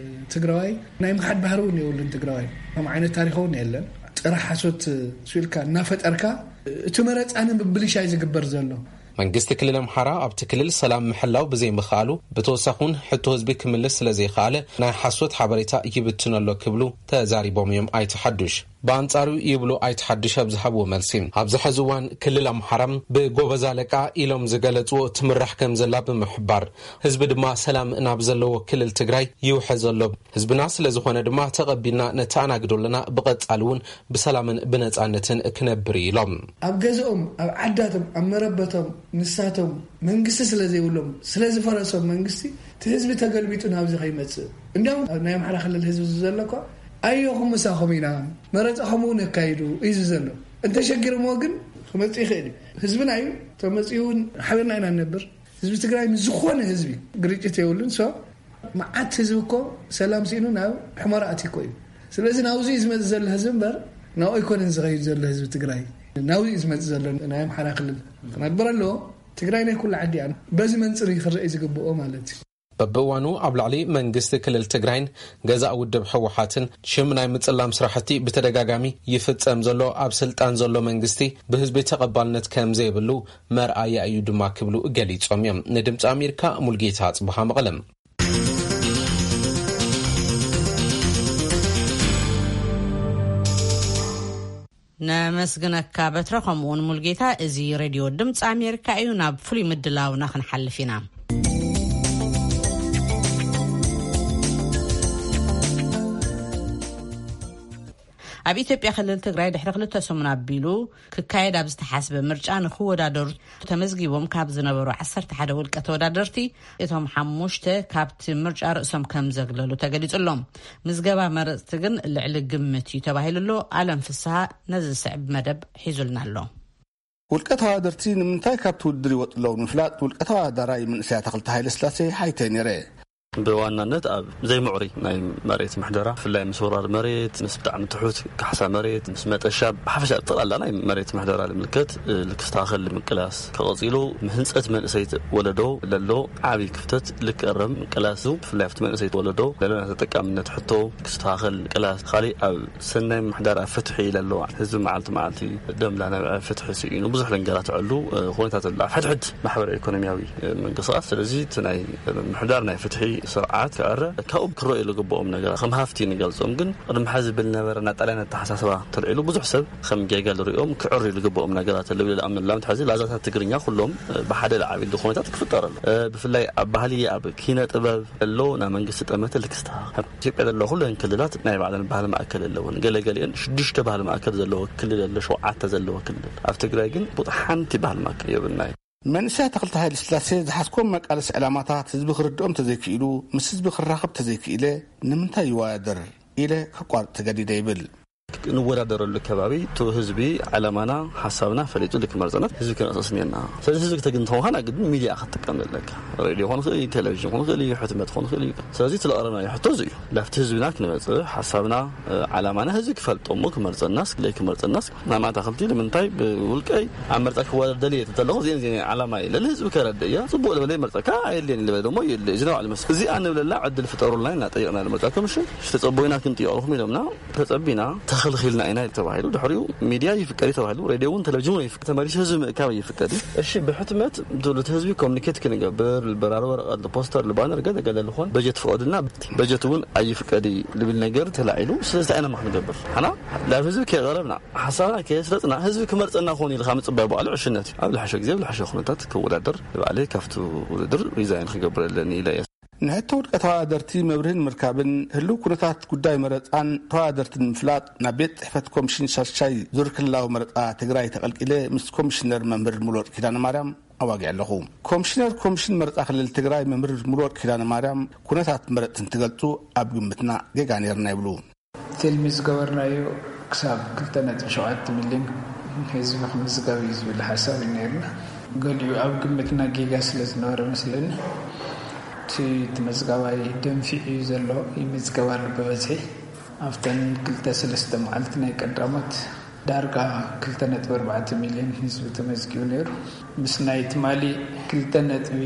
ትግራዋይ ናይ ምሓድ ባህሪ እውን የብሉን። ትግራዋይ ከም ዓይነት ታሪክ እውን የለን። ጥረ ሓሶት ስኢልካ እናፈጠርካ እቲ መረፃ ንምብልሻይ ዝግበር ዘሎ። መንግስቲ ክልል ኣምሓራ ኣብቲ ክልል ሰላም ምሕላው ብዘይምኽኣሉ ብተወሳኺ እውን ሕቶ ህዝቢ ክምልስ ስለዘይኸኣለ ናይ ሓሶት ሓበሬታ ይብትን ኣሎ ክብሉ ተዛሪቦም እዮም ኣይተ ሓዱሽ። ብኣንጻሩ ይብሉ ኣይተ ሓዱሽ ኣብ ዝሃብዎ መልሲ ኣብዚ ሕዚ እዋን ክልል ኣምሓራ ብጎበዝ ኣለቃ ኢሎም ዝገለጽዎ ትምራሕ ከም ዘላ ብምሕባር ህዝቢ ድማ ሰላም ናብ ዘለዎ ክልል ትግራይ ይውሕዝ ኣሎ። ህዝብና ስለ ዝኾነ ድማ ተቐቢልና ነተኣናግዶ ኣለና። ብቐጻሊ እውን ብሰላምን ብነጻነትን ክነብር እዩ ኢሎም። ኣብ ገዝኦም ኣብ ዓዳቶም ኣብ መረበቶም ንሳቶም መንግስቲ ስለ ዘይብሎም ስለ ዝፈረሶም መንግስቲ እቲ ህዝቢ ተገልቢጡ ናብዚ ከይመፅእ እንዲያውም ናይ ኣምሓራ ክልል ህዝቢ እዚ ዘሎ እኳ ኣየኹም ምሳኹም ኢና መረፃኹም እውን ኣካይዱ እዩ ዘሎ። እንተሸጊርምዎ ግን ክመፅእ ይኽእል እዩ። ህዝብና እዩ ተመፂኡ እውን ሓቢርና ኢና ንነብር። ህዝቢ ትግራይ ምስ ዝኾነ ህዝቢ ግርጭት የብሉን። ሶ መዓት ህዝቢ እኮ ሰላም ስኢኑ ናብ ሕመራ ኣትዩ እኮ እዩ። ስለዚ ናብዚ እዩ ዝመፅእ ዘሎ ህዝቢ እምበር ናብኡ ኣይኮነን ዝኸይድ ዘሎ ህዝቢ ትግራይ። ናብዚ እዩ ዝመፅእ ዘሎ ናይ ኣምሓራ ክልል ክነብር ኣለዎ። ትግራይ ናይ ኩሉ ዓዲ እያ። በዚ መንፅር እዩ ክረአ ዝግብኦ ማለት እዩ። በብእዋኑ ኣብ ላዕሊ መንግስቲ ክልል ትግራይን ገዛእ ውድብ ህወሓትን ሽም ናይ ምፅላም ስራሕቲ ብተደጋጋሚ ይፍፀም ዘሎ ኣብ ስልጣን ዘሎ መንግስቲ ብህዝቢ ተቐባልነት ከም ዘይብሉ መርኣያ እዩ ድማ ክብሉ ገሊፆም እዮም። ንድምፂ ኣሜሪካ ሙልጌታ ኣፅብሃ መቐለም። ነመስግነካ በትረ ከምኡውን ሙልጌታ። እዚ ሬድዮ ድምፂ ኣሜሪካ እዩ። ናብ ፍሉይ ምድላውና ክንሓልፍ ኢና። ኣብ ኢትዮጵያ ክልል ትግራይ ድሕሪ ክልተ ሰሙን ኣቢሉ ክካየድ ኣብ ዝተሓስበ ምርጫ ንክወዳደሩ ተመዝጊቦም ካብ ዝነበሩ ዓሰርተ ሓደ ውልቀ ተወዳደርቲ እቶም ሓሙሽተ ካብቲ ምርጫ ርእሶም ከም ዘግለሉ ተገሊጹ ኣሎ። ምዝገባ መረፅቲ ግን ልዕሊ ግምት እዩ ተባሂሉ ኣሎ። ኣለም ፍስሃ ነዚ ዝስዕብ መደብ ሒዙልና ኣሎ። ውልቀ ተወዳደርቲ ንምንታይ ካብቲ ውድድር ይወጡ ኣለዉ ንምፍላጥ ውልቀ ተወዳዳራይ መንእሰይ ኣታኽልቲ ሃይለ ስላሴ ሓይተ ነይረ። ብዋናነት ኣብ ዘይምዕሩይ ናይ መሬት ምሕደራ፣ ብፍላይ ምስ ወራር መሬት፣ ምስ ብጣዕሚ ትሑት ካሕሳ መሬት፣ ምስ መጠሻ፣ ብሓፈሻ ጠቕላላ ናይ መሬት ምሕደራ ልምልከት፣ እ፣ ልክስተኻኸል ምቅላስ፣ ከቐጺሉ ምህንጸት መንእሰይ ወለዶ ለሎ ዓቢ ክፍተት ልክእረም ምቅላስ፣ ብፍላይ ኣብቲ መንእሰይ ወለዶ ለሎ ናይ ተጠቃምነት ሕቶ ክስተኻኸል ምቅላስ፣ ካሊእ ኣብ ሰናይ ምሕዳር ኣብ ፍትሒ ለሎ ህዝቢ መዓልቲ መዓልቲ ደምላ ናብ ፍትሒ ስኢኑ ብዙሕ ለንገራት ዕሉ፣ እ፣ ኩነታት ኣሎ። ኣብ ሕድሕድ ማሕበራዊ ኢኮኖሚያዊ፣ እ፣ ምንቅስቃስ። ስለዚ እቲ ናይ ምሕዳር ናይ ፍትሒ ስርዓት ክዕረ ካብኡ ክረኣዩ ዝግብኦም ነገራት ከም ሃፍቲ ንገልጾም፣ ግን ቅድሚ ሕዚ ብል ነበረ ናይ ጣልያን ኣተሓሳስባ ተልዒሉ ብዙሕ ሰብ ከም ጌጋ ዝሪኦም ክዕርዩ ዝግብኦም ነገራት ኣለዉ ኢለ ዝኣምነሎም። ሕዚ ላዛታት ትግርኛ ኩሎም ብሓደ ዝዓብሉ ኩነታት ክፍጠር ኣሎ። ብፍላይ ኣብ ባህሊ፣ ኣብ ኪነ ጥበብ ዘሎ ናይ መንግስቲ ጠመተ ልክስታ ኣብ ኢትዮጵያ ዘሎ ኩለን ክልላት ናይ ባዕለን ባህሊ ማእከል ኣለወን። ገለገሊአን ሽዱሽተ ባህሊ ማእከል ዘለዎ ክልል ኣሎ፣ ሸውዓተ ዘለዎ ክልል። ኣብ ትግራይ ግን ቡጥ ሓንቲ ባህሊ ማእከል የብልናይ። መንእሰያት ተኽልተ ሃይለ ስላሴ ዝሓዝኮም መቃለሲ ዕላማታት ህዝቢ ክርድኦም ተዘይክኢሉ፣ ምስ ህዝቢ ክራኸብ ተዘይክኢለ ንምንታይ ይወዳደር ኢለ ከቋርጥ ተገዲደ ይብል። ንወዳደረሉ ከባቢ እቲ ህዝቢ ዕላማና ሓሳብና ፈሊጡ ልክመርፀና ህዝቢ ክነቕሰስ እኒአና። ስለዚ ህዝቢ ክተግን ተኾንካ ግድን ሚዲያ ክትጥቀም ዘለካ። ሬድዮ ክኾን ይኽእል እዩ፣ ቴሌቪዥን ክኾን ይኽእል እዩ፣ ሕትመት ክኾን ይኽእል እዩ። ስለዚ እቲ ለቐረብናዮ ሕቶ እዚ እዩ። ላብቲ ህዝብና ክንመፅእ ሓሳብና፣ ዓላማና ህዝቢ ክፈልጦ እሞ ክመርፀናስ ክለይ ክመርፀናስ ናይ ማእታ ክልቲ ንምንታይ ብውልቀይ ኣብ መርፃ ክወዳደር ደልየ ተለኹ እዚአን እዚአን ዓላማ እየ ለለ ህዝቢ ከረድእ እያ። ፅቡቅ ልበለ ይመርፀካ ኣየድልየን ልበለ ደሞ የለ እዚ ናባዕሉ መስ እዚኣ ንብለላ ዕድል ፍጠሩልና ኢና ጠይቕና። ልመርፃ ኮሚሽን ተፀቦይና ክንጥየቕልኩም ኢሎምና። ተጸቢና ተኸልኺልና ኢና ተባሂሉ። ድሕሪኡ ሚድያ ይፍቀድ እዩ ተባሂሉ። ሬድዮ እውን ቴሌቪዥን እውን ይፍቀድ። ተመሊሱ ህዝቢ ምእካብ ይፍቀድ እዩ። እሺ ብሕትመት ትብሉት ህዝቢ ኮሚኒኬት ክንገብር ልበራሪ ወረቐት ልፖስተር ልባነር ገለ ገለ ልኾን በጀት ፍቐዱልና በጀት እውን ኣይፍቀድ እዩ ልብል ነገር ተላዒሉ። ስለዚ እንታይ ኢና ክንገብር ሓና ናብ ህዝቢ ከየቐረብና ሓሳብና ከየስረጽና ህዝቢ ክመርጸና ክኾን ኢልካ ምጽባይ ባዕሉ ዕሽነት እዩ። ኣብ ልሓሸ ግዜ ኣብ ልሓሸ ኩነታት ክወዳደር ንባዕለይ ካብቲ ውድድር ሪዛይን ክገብር ኣለኒ ኢለ እየ። ንሕቶ ውድቀ ተወዳደርቲ መብርሂ ንምርካብን ህልው ኩነታት ጉዳይ መረፃን ተወዳደርትን ንምፍላጥ ናብ ቤት ፅሕፈት ኮሚሽን ሻሻይ ዙር ክልላዊ መረፃ ትግራይ ተቐልቂለ ምስ ኮሚሽነር መምህር ሙሉወርቅ ኪዳነ ማርያም ኣዋጊዐ ኣለኹ። ኮሚሽነር ኮሚሽን መረፃ ክልል ትግራይ መምህር ሙሉወርቅ ኪዳነ ማርያም ኩነታት መረፅቲ እንትገልፁ ኣብ ግምትና ጌጋ ነይርና ይብሉ። ትልሚ ዝገበርናዮ ክሳብ ክልተ ነጥቢ ሸውዓተ ሚልዮን ህዝቢ ክምዝገብ እዩ ዝብል ሓሳብ እዩ ነይርና። ገሊኡ ኣብ ግምትና ጌጋ ስለ ዝነበረ መስለኒ እቲ ተመዝጋባይ ደንፊዑ እዩ ዘሎ። ይምዝገብ ኣሎ ብበዝሒ ኣብተን ክልተ ሰለስተ መዓልቲ ናይ ቀዳሞት ዳርጋ ክልተ ነጥቢ ኣርባዕተ ሚልዮን ህዝቢ ተመዝጊቡ ነይሩ። ምስ ናይ ትማሊ ክልተ ነጥቢ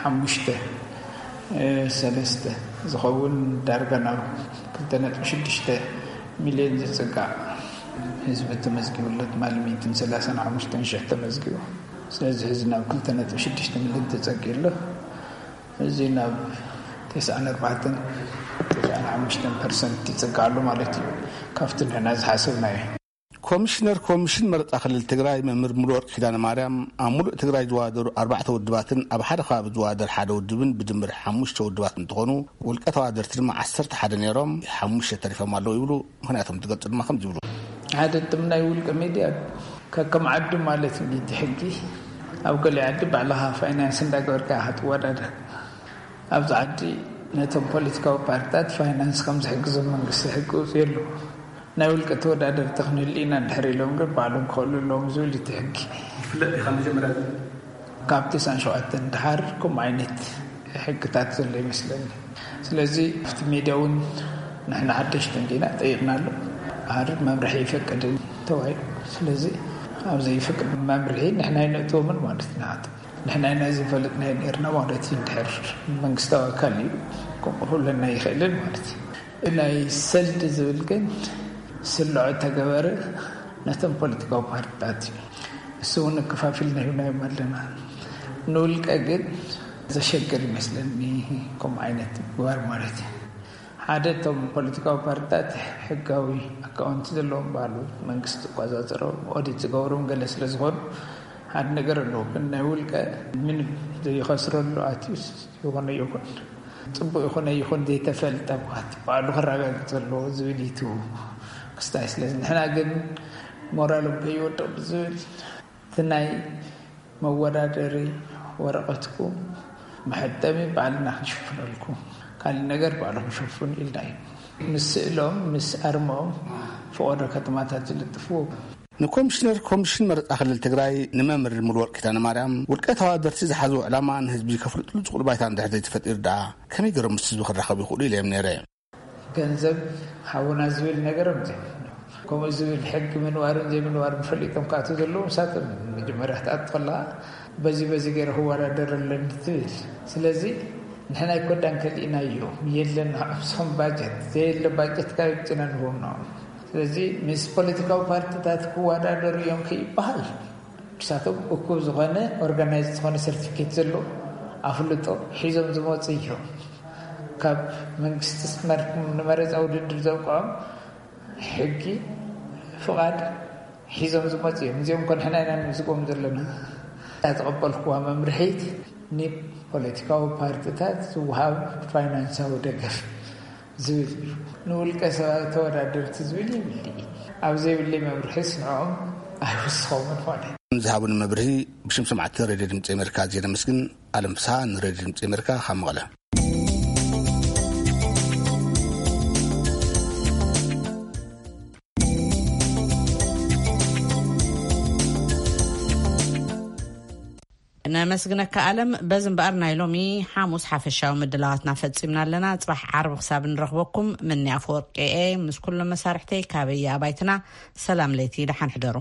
ሓሙሽተ ሰለስተ ዝኸውን ዳርጋ ናብ ክልተ ነጥቢ ሽዱሽተ ሚልዮን ዝጽጋዕ ህዝቢ ተመዝጊቡ ኣሎ። ትማሊ ሚእትን ሰላሳን ሓሙሽተን ሽሕ ተመዝጊቡ። ስለዚ ሕዚ ናብ ክልተ ነጥቢ ሽዱሽተ ሚልዮን ተጸጊ ኣሎ። እዚ ናብ ተስዓን ኣርባዕተን ተስዓን ሓሙሽተን ፐርሰንት ይጽጋዕ ኣሎ ማለት እዩ። ካብቲ ንሕና ዝሓሰብናዮ። ኮሚሽነር ኮሚሽን መረፃ ክልል ትግራይ መምህር ሙሉወርቅ ኪዳነ ማርያም ኣብ ሙሉእ ትግራይ ዝዋደሩ ኣርባዕተ ውድባትን ኣብ ሓደ ከባቢ ዝዋደር ሓደ ውድብን ብድምር ሓሙሽተ ውድባት እንትኾኑ ውልቀ ተዋደርቲ ድማ ዓሰርተ ሓደ ነይሮም ሓሙሽተ ተሪፎም ኣለዉ ይብሉ። ምክንያቶም ትገልፁ ድማ ከም ዝብሉ። ሓደ ጥም ናይ ውልቀ ሚድያ ከከም ዓዱ ማለት እዩ እቲ ሕጊ። ኣብ ገሊኡ ዓዲ ባዕልኻ ፋይናንስ እንዳገበርካ ኢኻ ትወዳደር። ኣብዚ ዓዲ ነቶም ፖለቲካዊ ፓርትታት ፋይናንስ ከም ዝሕግዞም መንግስቲ ሕጊ ውፅኡ ኣሎ። ናይ ውልቀ ተወዳደርቲ ክንህሉ ኢና እንድሕር ኢሎም ግን ባዕሎም ክኸሉ ኣለዎም ዝብል እቲ ሕጊ። ይፍለጥ እዩ ካብ መጀመርያ። ካብ ተስዓን ሸውዓተን ድሓር ከምኡ ዓይነት ሕግታት ዘሎ ይመስለኒ። ስለዚ ኣብቲ ሜድያ እውን ንሕና ሓደሽቲ እንዲና ጠይቕና ኣሎ። ኣር መምርሒ ይፈቅድን ተባሂሉ። ስለዚ ኣብ ዘይፍቅድ መምርሒ ንሕና ኣይነእትዎምን ማለት ኢና። ንሕና ኢና ዘይፈለጥናዮ ነርና ማለት እዩ። እንድሕር መንግስታዊ ኣካል እዩ ከምኡ ክብለና ይኽእልን ማለት እዩ። ናይ ሰልዲ ዝብል ግን ስልዖ ተገበረ ነቶም ፖለቲካዊ ፓርትታት እዩ። እሱ እውን ክፋፊልና ሂብናዮም ኣለና። ንውልቀ ግን ዘሸግር ይመስለኒ ከምኡ ዓይነት ምግባር ማለት እዩ። ሓደ እቶም ፖለቲካዊ ፓርትታት ሕጋዊ ኣካውንቲ ዘለዎም ባሉ መንግስቲ ዝቆፃፀሮም ኦዲት ዝገብሮም ገለ ስለ ዝኾኑ ሓደ ነገር ኣለዎ። ግን ናይ ውልቀ ምንም ዘይኸስረሉ ኣትዩስ ይኾነ ይኹን ፅቡቅ ይኹነ ይኹን ዘይተፈልጠ ማለት ባዕሉ ክረጋግፅ ዘለዎ ዝብል ይቱ ክስታይ። ስለዚ ንሕና ግን ሞራሎም ከይወድቕ ብዝብል እቲ ናይ መወዳደሪ ወረቐትኩም መሐጠሚ ባዕልና ክንሽፍነልኩም ካልእ ነገር ባዕልኹም ሸፍኑ ኢልና እዩ። ምስ ስእሎም ምስ ኣርሞም ፈቐዶ ከተማታት ዝልጥፍዎ። ንኮሚሽነር ኮሚሽን መረፃ ክልል ትግራይ ንመምህር ሙሉወርቅ ኪዳነ ማርያም ውልቀ ተዋደርቲ ዝሓዝዎ ዕላማ ንህዝቢ ከፍልጥሉ ዝኽእሉ ባይታ እንድሕር ዘይተፈጢሩ ደኣ ከመይ ገይሮም ምስ ህዝቢ ክራኸቡ ይኽእሉ ኢለ እዮም ነይረ። ገንዘብ ሃቡና ዝብል ነገሮም ዘይብሉ። ከምኡ ዝብል ሕጊ ምንባርን ዘይምንባርን ፈሊጦም ክኣትዉ ዘለዎም ንሳቶም መጀመርያ ክትኣቱ ከለኻ በዚ በዚ ገይረ ክወዳደር ኣለኒ ትብል። ስለዚ ንሕና ኣይኮዳን ከሊእናዮ የለን ንዕብሶም ባጀት ዘየለ ባጀት ካብ ጭና ንህቦም ንኦም። ስለዚ ምስ ፖለቲካዊ ፓርቲታት ክወዳደሩ እዮም ከይበሃል ንሳቶም እኩብ ዝኾነ ኦርጋናይዝ ዝኾነ ሰርቲፊኬት ዘለዎ ኣፍልጦ ሒዞም ዝመፁ እዮም። ካብ መንግስቲ መር- ንመረፃ ውድድር ዘብቅዖም ሕጊ ፍቓድ ሒዞም ዝመፁ እዮም። እዚኦም እኮ ንሕና ኢና ንምዝጎም ዘለና። እታ ተቐበልኩዋ መምርሒት ንፖለቲካዊ ፓርቲታት ዝወሃብ ፋይናንሳዊ ደገፍ ዝብል እዩ። ንውልቀ ሰባት ተወዳደርቲ ዝብል ይብሊ። ኣብ ዘይብለይ መምርሒስ ንዕኦም ኣይውስኾምን ኾነ። ዝሃቡን መብርሂ ብሽም ሰማዕቲ ሬድዮ ድምፂ ኣሜሪካ ኣዝየ ነመስግን። ኣለም ፍስሃ ንሬድዮ ድምፂ ኣሜሪካ ካብ መቐለ። ነመስግነካ ኣለም። በዚ እምበኣር ናይ ሎሚ ሓሙስ ሓፈሻዊ ምድላዋትና ፈጺምና ኣለና። ጽባሕ ዓርቢ ክሳብ ንረኽበኩም ምኒ ኣፈወርቂ እየ ምስ ኩሎም መሳርሕተይ ካበየ ኣባይትና ሰላም ለይቲ ደሓን ሕደሩ።